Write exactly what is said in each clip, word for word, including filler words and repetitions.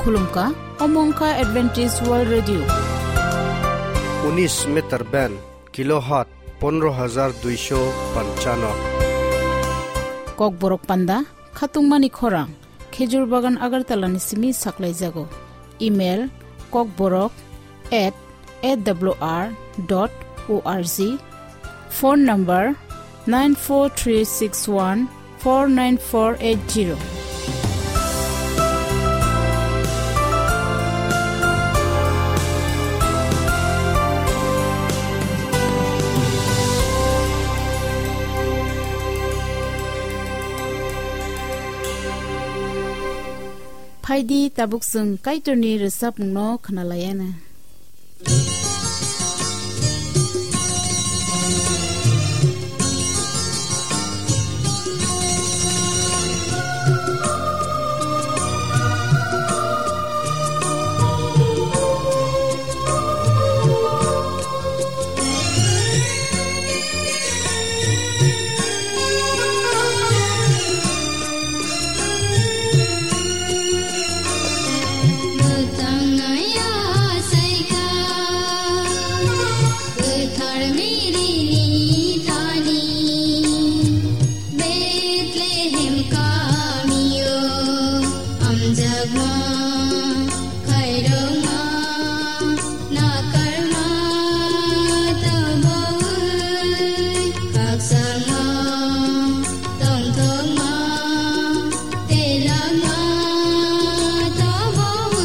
Khulumkha, omo wngkha Adventist World Radio. Unis meter band, kilohertz pondro hajar duisho panchano. Kokborok panda, khatungmani khorang, Khejur Bagan Agartala ni simi saklaijago. Email, kokborok at A W R dot O R G. Phone number nine four three six one four nine four eight zero. Phaidi tabuk chwng Kaitorni rwchapmungno khwnalaiana. Bethlehem kamio amjakma khairokma nakarma tabwi khakchangma tongthokma telakma tabwi.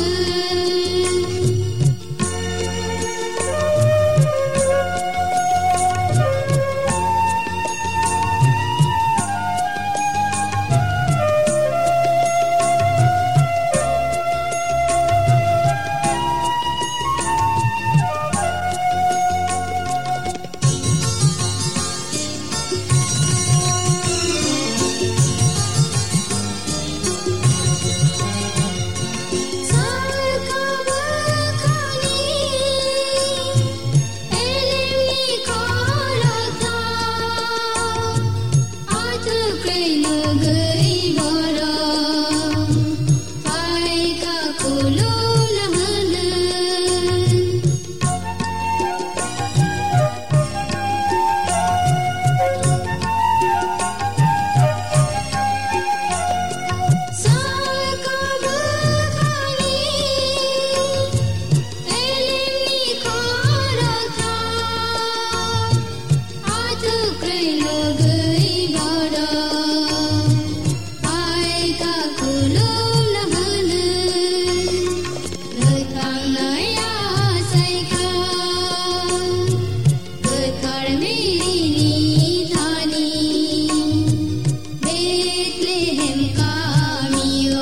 Bethlehem kamio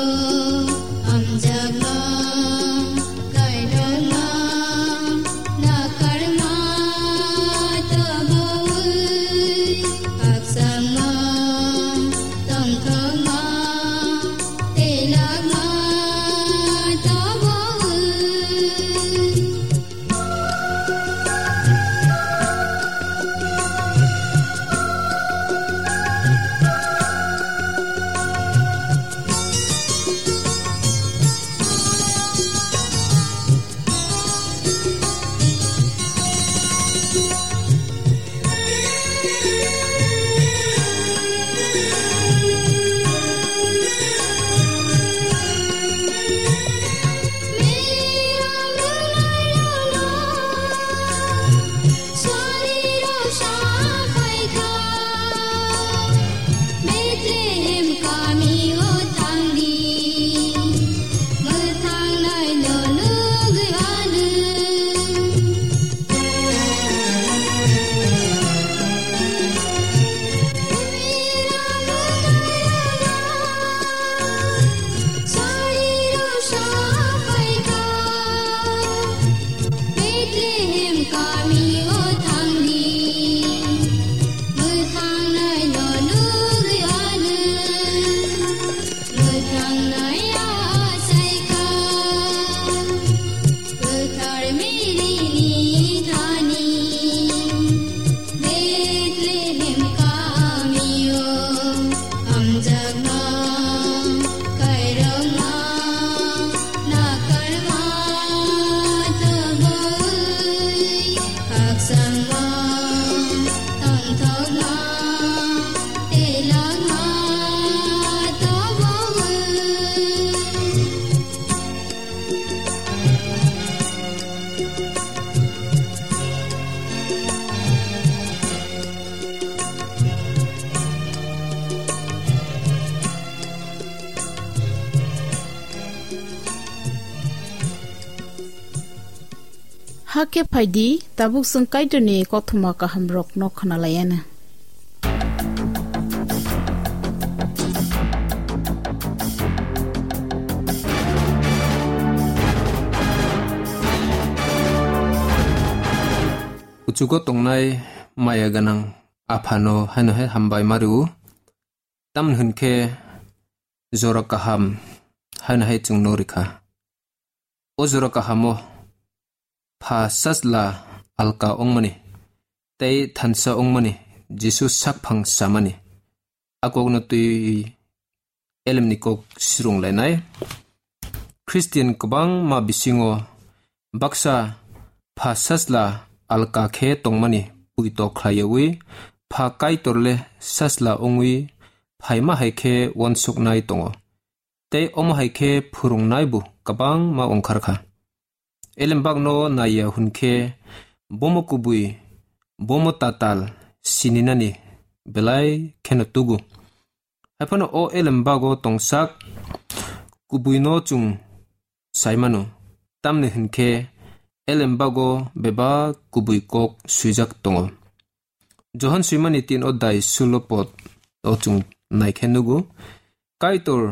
amjakma, kaitorma, nakarma tabwi, khakchangma, tongthokma, telakma tabwi. Hakhe phaidi, tabuk chwng Kaitorni kothoma kahamrokno khwnalaianw. Kuchugo tongnai maya gwnang Aphano haino hai hambai ma rw-o. Tamni hwn khe jora kaham haino hai chwngno rw kha. O jora kahamo Pha Sajla alka wngmani tei thansa wngmani Jisu sakphang samani a kokno twi elemni kok srwng lainai. Khristian kwbangma bisingo baksa Pha Sajla alka khe tongmani puito khlaiwi Pha Kaitor le Sajla wngwi phaima hai khe uansuknai tongo. Tei omo hai khe phwrwngnaibo kwbangma ongkhar kha. Elembakno naiya hwn khe bomo kubui, bomo tatal sininani belai kheno tugu. Haiphano o elembago tongsak kubuino chwng sai mano, tamni hwn khe elembago bebak kubui kok swijak tongo. Johon swimani tin odai sulo pod o chwng nai khe nugo, Kaitor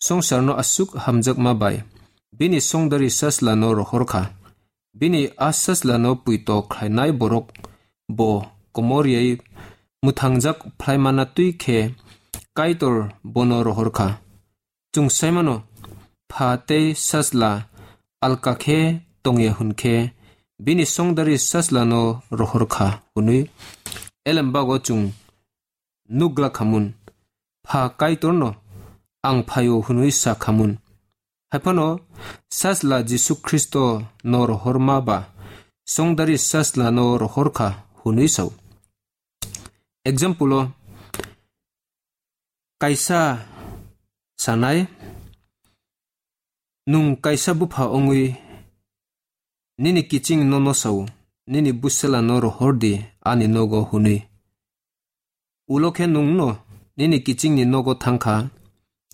songsarno aswk hamjakma bai bini songdari Sajlano rohor kha. Bini a Sajlano puito khlainai borok bo komor rwui mwthangjak phlaimana twi khe Kaitor bono rohor kha. Chwng sai mano, Pha tei Sajla alka khe tongya hwn khe bini songdari Sajlano rohor kha hwnwi elembago chwng nukgla khamun. Pha Kaitorno, "Ang phaio," hwnwi sa khamun. Haiphano Sajla Jisu Khristo no rohorma ba songdari Sajlano rohor kha hwnwi sao. Example o kaisa sanai, nwng kaisa bupha wngwi nini kiching nono sao, "Nini bwsela no rohor di ani nogo," hwnwi. Ulo khe nwng no nini kiching ni nogo thang kha,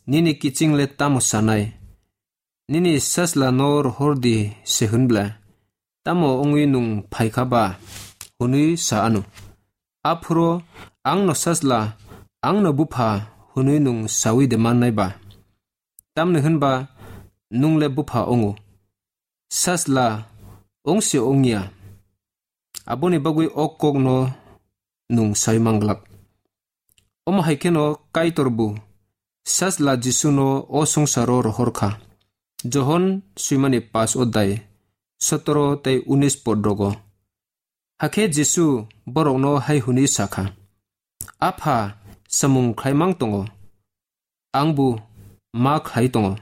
nini kiching le tamo sanai? "Nini sajla no rohor di," se hwn bla, "Tamo wngwi nwng phai kha ba?" hwnwi sa anw. Aphuru, "Ang no sajla, ang no bupha," hwnwi nwng saui de mannai ba? Tamni hwn ba nwng le bupha wngo, sajla wng se wng ya. Aboni bagwi o kok no nwng sai manglak. Omo hai kheno Kaitor bo sajla Jisu no o swngcharo rohor kha. Johon swimani pash odai sotoro tei unis pod rogo. Hakhe Jisu borok no hai hwnwi sa kha, "Apha samung khlai mang tongo, ang bo ma khlai tongo."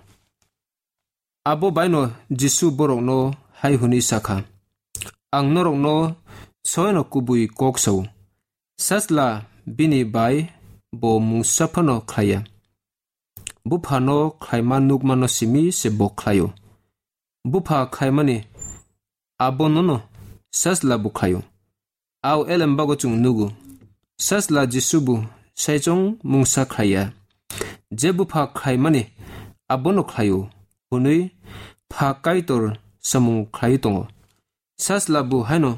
Abo baino Jisu borokno hai hwnwi sa kha, "Ang norokno soino kubui kok sao, sajla bini bai bo mungsa phano khlai ya. Buphano khlaima nukmano simi se bo khlaio. Bupha khlaimani abonono sajla bo khlaio." Au elem bago chwng nugo, sajla Jisu bo saichung mungsa khlai ya. Je bupha khlaimani abono khlaio, hwnwi pha Kaitor samung khlai tongo. Sajla bo haino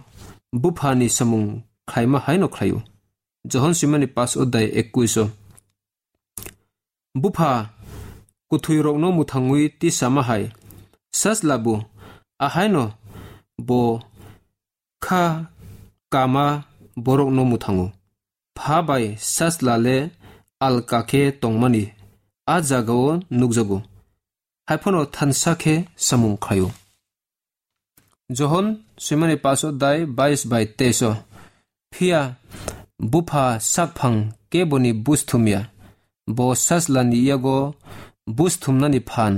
buphani samung khlaima haino khlaio. Johon swimani pash odai ekkuish o. Bupha kwthwirokno mwthangwi tisama hai, sajla bo ahaino bo kha kama borokno mwthango. Pha bai sajla le alka khe tongmani a jagao nukjago. Haiphano thansa khe samung khlaio. Johon swimani pash odai bais bai teis o. Phiya bupha sakphang keboni buj thum ya, bo sajlani yago buj thumnani phan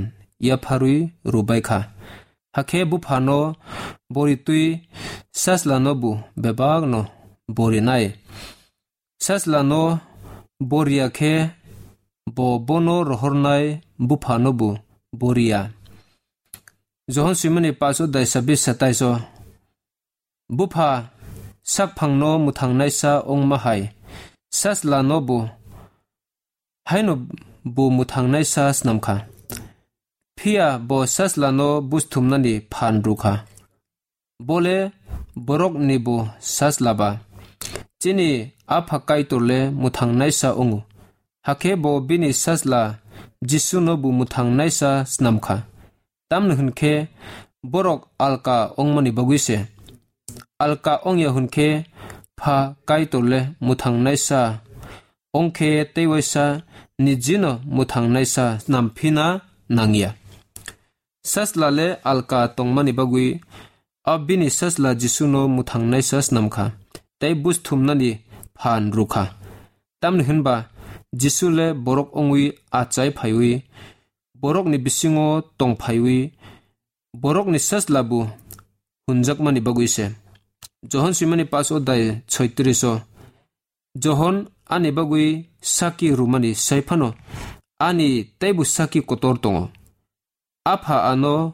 yapharwi rwbai kha. Hakhe buphano bori twi sajlano bo bebakno borinai. Sajlano boriya khe bo bono rohornai buphano bo boriya. Johon swimani pash odai sabis satais o. Bupha sakphangno mwthangnaisa wngma hai, sajlano bo haino bo mwthangnaisa snam kha. Phiya bo sajlano buj thumnani phan rw kha. Bo le borokni bo sajla ba. Chini Apha Kaitor le mwthangnaisa wngo. Hakhe bo bini sajla Jisuno bo mwthangnaisa snam kha. Tamni hwn khe borok alka wngmani bagwi se. Alka wngya hwn khe Pha Kaitor le mwthangnaisa wng khe tei waisa nijino mwthangnaisa snam phina nangya. Sajla le alka tongmani bagwi a bini sajla Jisuno mwthangnaisa snam kha tei buj thumnani phan rw kha. Tamni hwn ba Jisu le borok wngwi achai phaiwi, borokni bisingo tong phaiwi, borokni sajla bo hwnjakmani bagwi se. Johon swimani paanch odai soitris o, Johon ani bagwi sakki rwmani sai phano ani teibo sakki kotor tongo. Apha ano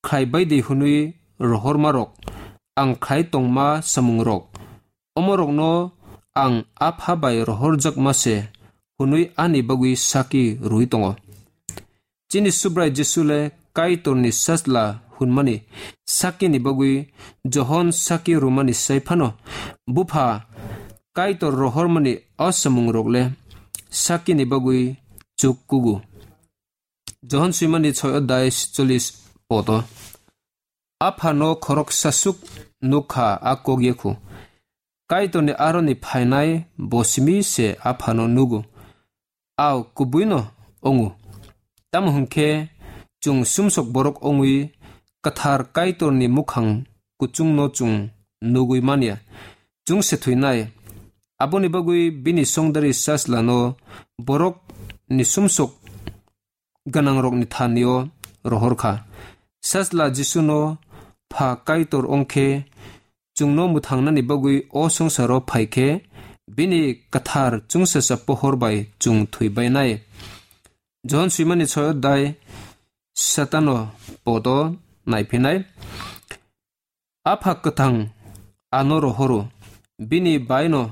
khlai bai di hwnwi rohormarok, ang khlai tongma samungrok, omorokno ang Apha bai rohorjakma se hwnwi ani bagwi sakki rwui tongo. Chini Subrai Jisu le Kaitorni sajla hwnmani sakkini bagwi Johon sakki rwmani sai phano Bupha Kaitor rohormani o samungrok le sakkini bagwi chuk kugo. Johon swimani soi odai cholish poto. Aphano khoroksa suk nukha a kok yekhu. Kaitorni aroni phainai bo simi se Aphano nugo. Ao kubuino ongo. Tamo hwnkhe chwng sumsok borok ongwi kwthar Kaitorni mukhang kuchungno chwng nugwi manya. Chwng se thwinai. Aboni bagwi bini songdari sajlano borokni sumsok gwnangrokni thanio rohor kha. Sajla Jisuno Pha Kaitor wng khe chwngno mwthangnani bagwi o swngcharo phai khe bini kwthar chwngsacha pohor bai chwng thwi bainai. Johon swimani soi odai satano podo naiphinai. Apha kwthang ano rohoro, bini baino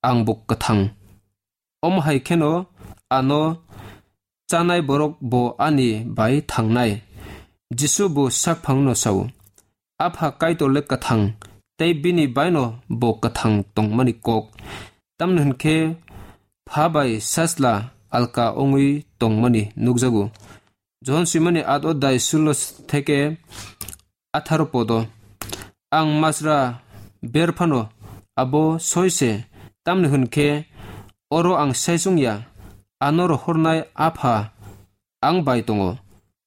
angbo kwthang. Omo hai kheno ano chanai borok bo ani bai thangnai. Jisu bo sakphangno sao, Apha Kaitor le kwthang, tei bini baino bo kwthang tongmani kok. Tamni hwn khe Pha bai Sajla alka wngwi tongmani nukjago. Johon swimani at odai sulo theke atharo podo. Ang masra ber phano abo soi se, tamni hwn khe oro ang saichung ya, ano rohornai Apha ang bai tongo.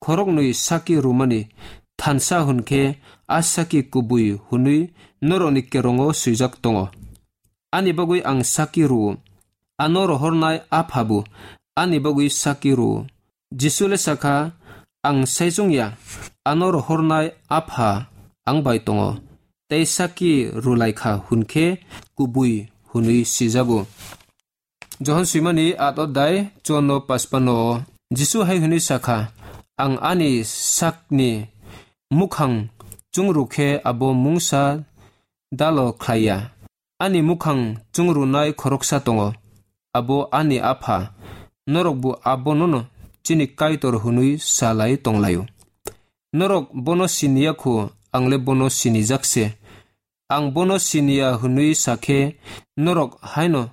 Khoroknwi sakki rwmani thansa hwn khe a sakki kubui hwnwi norokni kerongo swijak tongo. Ani bagwi ang sakki rwo, ano rohornai Apha bo ani bagwi sakki rwo. Jisu le sakha, ang saichung ya, ano rohornai Apha ang bai tongo, tei sakki rwlai kha hwn khe kubui hwnwi sijago. Johon swimani at odai chuanno paspano Jisu hai hwnwi sakha, ang ani sakni mukhang chungru khe abo mungsa dalo khlai ya. Ani mukhang chungrunai khoroksa tongo, abo ani Apha. Norokbo abonono chini Kaitor hwnwi sa lai tong lai-o. Norok bono sini ya kho, ang le bono sinijak se. Ang bono sini ya hwnwi sa khe norok haino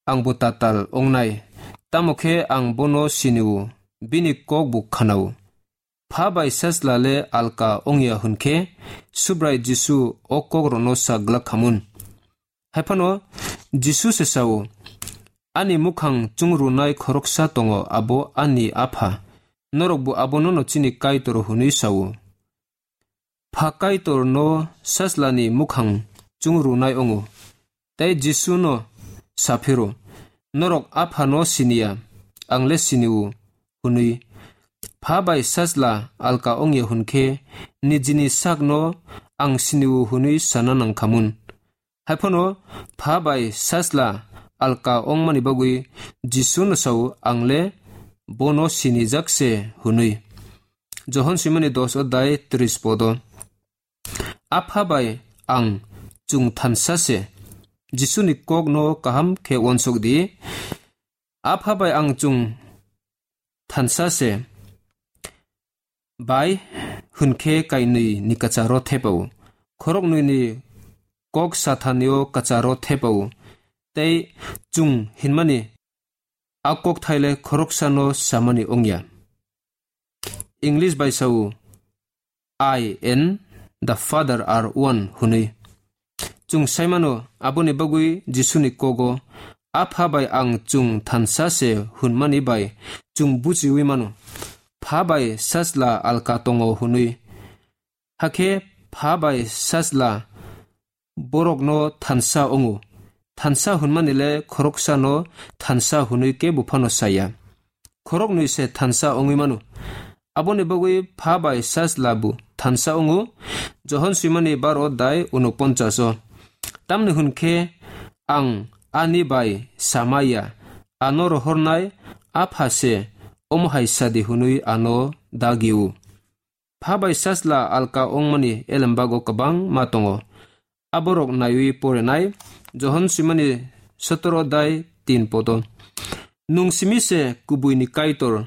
angbo tatal wngnai. Tamo khe ang bono sini-o, bini kok bo khna-o. Pha bai Sajla le alka wng ya hwn khe Subrai Jisu o kokrokno sa glak kha mun. Hai phano Jisu se sa-o, ani mukhang chungrunai khoroksa tongo, abo ani Apha. Norokbo abonono chini Kaitor hwnwi sa-o. Pha Kaitorno Sajlani mukhang chungrunai wngo, tei Jisuno sa phiro, norok Aphano sini ya, ang le sini-o, hwnwi. Pha bai Sajla alka wng ya hwn khe nijini sakno ang sini-o hwnwi sana nang kha mun. Hai phano Pha bai Sajla alka wngmani bagwi Jisuno sa-o, ang le bono sinijak se hwnwi. Johon swimani dos odai tris podo. Apha bai ang chwng thansa se. Jisuni kokno kaham khe uansuk di. Apha bai ang chwng thansa se. Bai hwn khe kainwi ni kwcharo thepao. Khoroknwi ni kok sathanio kwcharo thepao. Tei chwng hinmani a kokthaile khoroksano samani wngya. English bai sao, "I and the Father are one," hwnwi. Chwng sai mano, aboni bagwi Jisuni kogo, "Apha bai ang chwng thansa se," hwnmani bai chwng bujiwi mano, "Pha bai Sajla alka tongo," hwnwi. Hakhe Pha bai Sajla borokno thansa wngo. Thansa hwnmani le khoroksano thansa hwnwi kebo phano saya. Khoroknwi se thansa wngwi mano. Aboni bagwi Pha bai Sajla bo thansa wngo. Johon swimani baro dai unoponchas o. Tamni hwn khe ang ani bai samaya, ano rohornai Apha se omo hai sadi hwnwi ano dagi-o. Pha bai Sajla alka wngmani elembago kwbangma tongo. Aborok naiwi porenai Johon swimani sotoro dai tin podo. Nwng simi se kubuini Kaitor,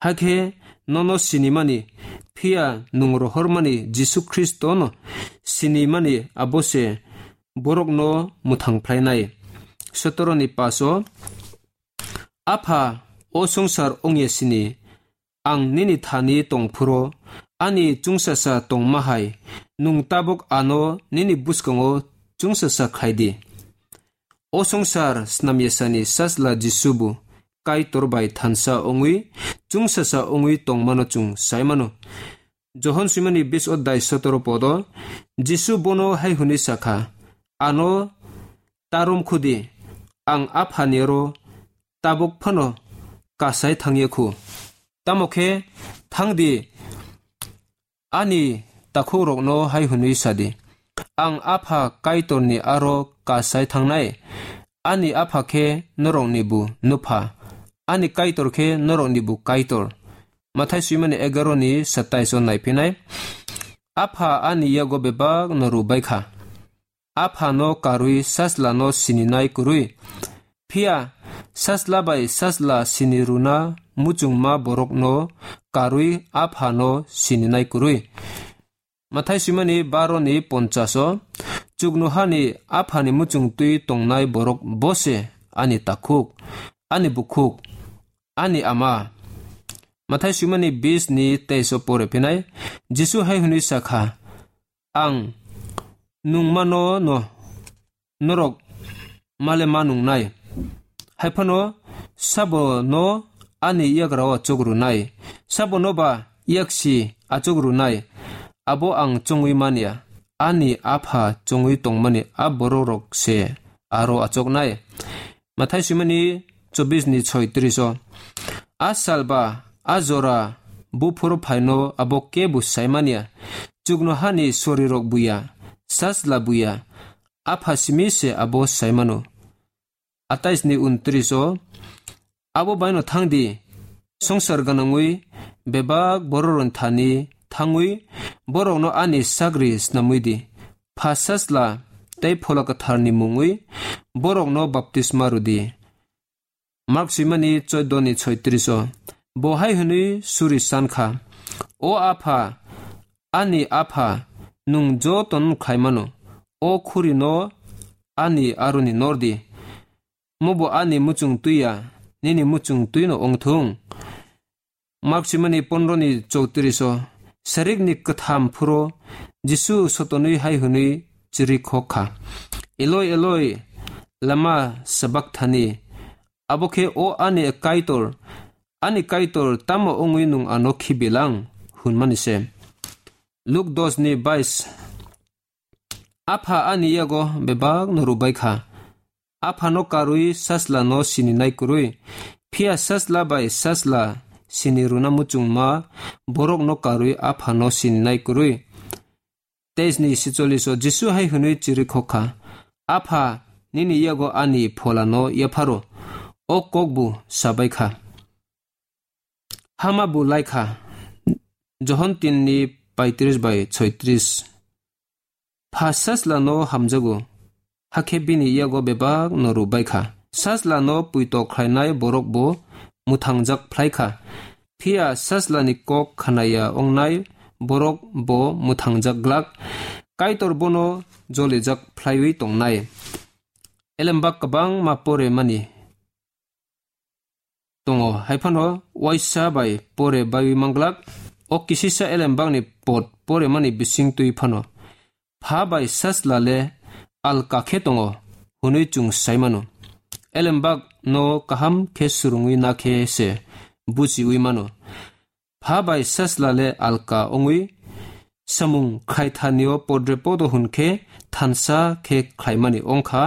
hakhe nono sinimani, phiya nwng rohormani Jisu Khristono sinimani abo se borokno mwthang phlainai. Sotoroni paso, Apha, o songsar wngya sini, ang nini thani tongphuru, ani chwngsasa tongma hai, nwng tabuk ano nini bwskango chwngsasa khlai di. O songsar snamyasani Sajla Jisu bo Kaitor bai thansa wngwi, chwngsasa wngwi tongmano chwng sai mano. Johon swimani bis odai sotoro podo, Jisu bono hai hwnwi sakha, "Ano tarom khudi, ang Aphani oro tabuk phano kasai thangya khu. Tamo khe thang di, ani takhukrokno hai hwnwi sa di, 'Ang Apha Kaitorni aro kasai thangnai, ani Apha khe norokni bo nupha, ani Kaitor khe norokni bo Kaitor.'" Mathai swimani egaroni satais o naiphinai, Apha ani yago bebak no rw bai kha. Aphano karwi Sajlano sininai kwrwi. Phiya Sajla bai Sajla sini rwna muchungma borokno karwi Aphano sininai kwrwi. Mathai swimani baro ni ponchas o, "Chuknohani Aphani muchungtwi tongnai borok bo se ani takhuk, ani bukhuk, ani ama." Mathai swimani bis ni teis o pore phinai, Jisu hai hwnwi sakha, "Ang nungmano no norok male ma nungnai. Haiphano sabo no ani yagra o achuk rwnai, sabo no ba yaksi achuk rwnai, abo ang chongwi manya, ani Apha chongwi tongmani a borok rok se aro achuknai." Mathai swimani chobis ni soitris o, "A sal ba a jora buphuru phaino abo kebo saimanya, chuknohani sorirok buya, Sajla buya, Apha simi se abo saimano." Atais ni untris o, "Abo baino thang di, songsar gwnangwi bebak bororokni thani thangwi borokno ani sagri snamwi di. Pha Sajla tei Phola Kwtharni mungwi borokno baptisma rw di." Mark swimani choudo ni soitris o, bo hai hwnwi suri san kha, "O Apha, ani Apha, nwng jotono khlaimano, o khurino ani aroni nor di. Mobo ani muchung twi ya, nini muchung twi no wng thung." Mark swimani pondro ni choutrish o, sarik ni kwtham phuro Jisu sotonwi hai hwnwi chiri khok kha, "Eloi, Eloi, lama sabakthani?" Abo khe, "O ani Kaitor, ani Kaitor, tamo wngwi nwng ano khibilang?" hwnmani se. Luk dos ni bais, "Apha ani yago bebak no rwbai kha. Aphano karwi Sajlano sininai kwrwi. Phiya Sajla bai Sajla sini rwna muchungma borokno karwi Aphano sininai kwrwi." Teis ni sicholish o Jisu hai hwnwi chiri khok kha, "Apha, nini yago ani Pholano yapharo." O kok bo sabai kha. Hama bo lai kha. Johon tin ni paitris bai soitris. Pha Sajlano hamjago, hakhe bini yago bebak no rwbai kha. Sajlano puito khlainai borok bo mwthangjak phlai kha. Phiya Sajlani kok khnaya wngnai borok bo mwthangjak glak, Kaitor bono jolijak phlaiwi tongnai. Elembak kwbangma pore mani tongo, hai phano waisa bai pore baiwi manglak. O kisisa elembakni pot pore mani bising twi phano, pha bai sajla le alka khe tongo hwnwi chwng sai mano. Elembak no kaham khe swrwngwi na khe se buchiwi mano. Pha bai sajla le alka wngwi samung khlaitharnio podre podo hwn khe thansa khe khlaimani wngkha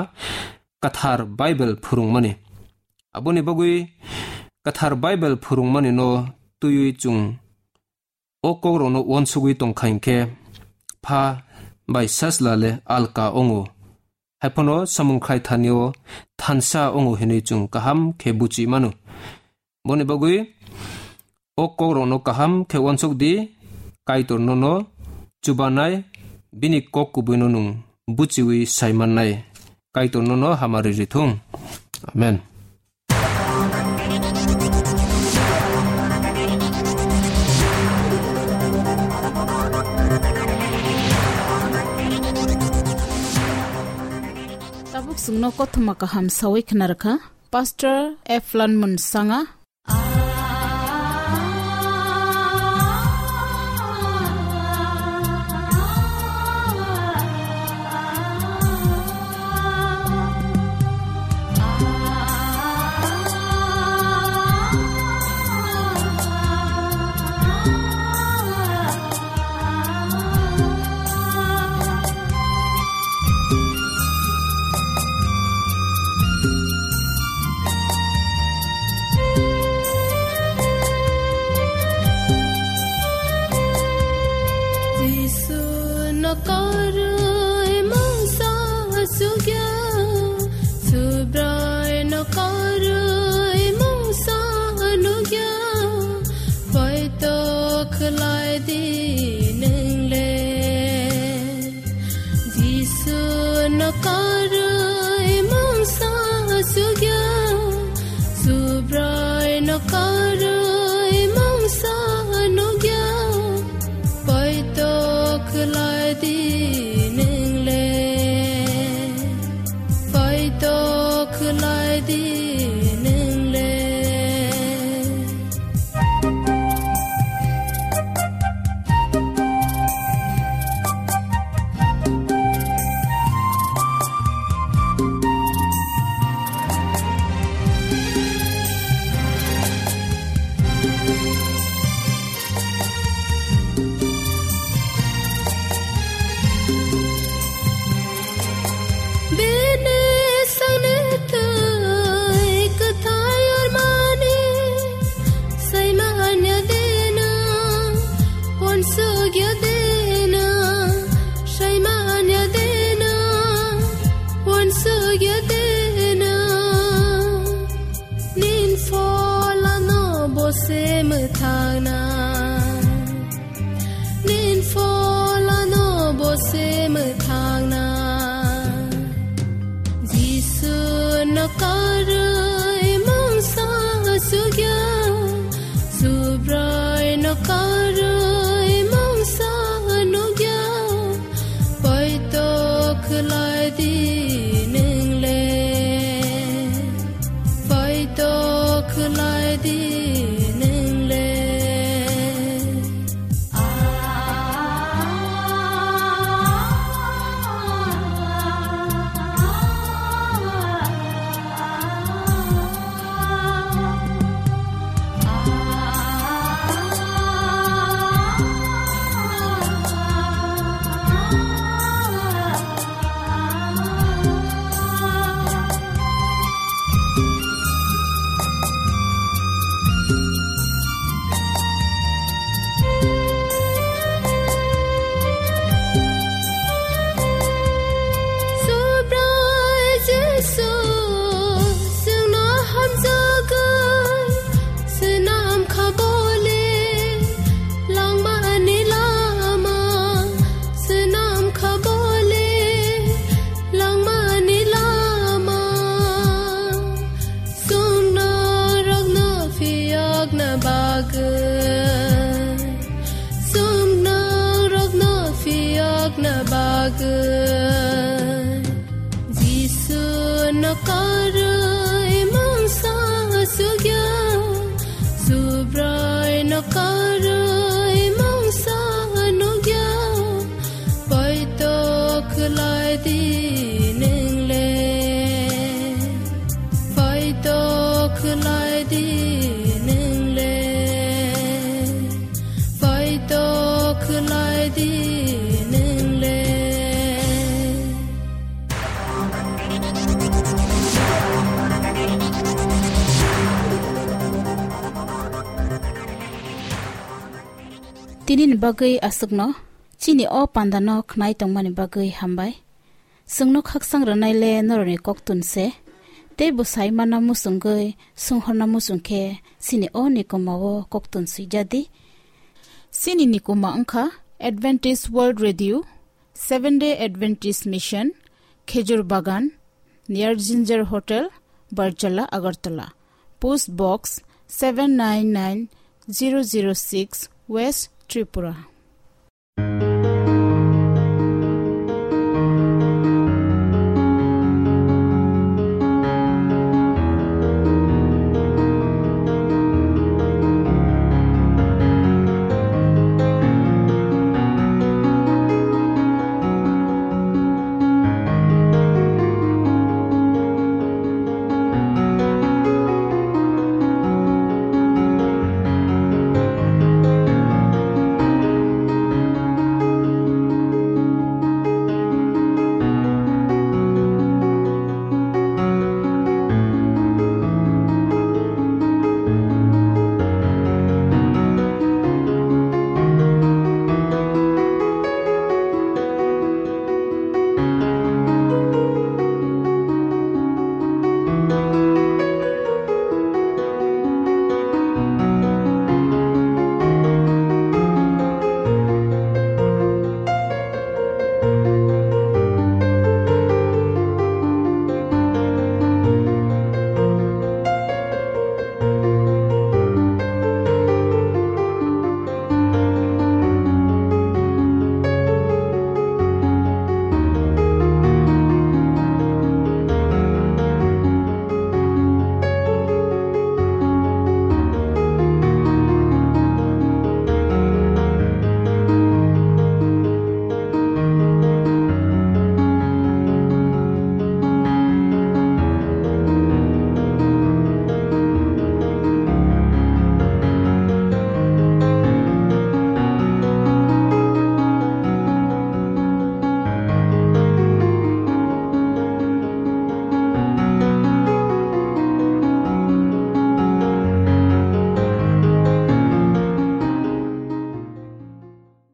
kwthar Bible phwrwngmani. Aboni bagwi kwthar Bible phwrwngmani no twiwi chwng o kokrokno uansugwi tongkha hinkhe pha bai sajla le alka wngo. Hai phano samung khlaitharnio thansa wngo hwnwi chwng kaham khe buchi mano. Boni bagwi o kokrokno kaham khe uansuk di, Kaitor nono chubanai, bini kok kubuino nwng buchiwi sai mannai. Kaitor nono hamari rithung. Amen. Tabuk chwngno kothoma kaham sawi khna rwkha Pastor Eflan Munsanga. Jisu no karwi mungsa sugya, Subrai no karwi mungsa nugya, poito khlai di nwngle. Jisu no karwi mungsa sugya, Subrai no karwi mungsa nugya, poito khlai di nwngle, poito khlai di nwngle. Bini sangni twi kwthai ormani, saimanya dena, uansukya dena, saimanya dena, uansukya dena. Nin pholano bo se mwthangna, nin pholano bo se mwthangna. Jisu no karwi mungsa sugya, Subrai no karwi mungsa nugya, poito khlai di nwngle, poito khlai di nwngle. Na bagwi Jisu no karwi mungsa sugya, Subrai no karwi mungsa nugya, poito khwlai di nwngle, poito khwlai di nwngle. Poito khwlai di nwngle. Tini ni bagwi aswkno, chini o panda no khnai tongmani bagwi hambai. Chwngno khakchang rwnai le norokni koktun se, tei bo sai manna muchungwi, swnghorna muchung khe chini o nikuma o koktun swijadi. Chini nikuma wngkha Adventist World Radio, Seventh Day Adventist Mission, Khejur Bagan, near Ginger Hotel, Barjala, Agartala. Post Box seven nine nine zero zero six, West Tripura.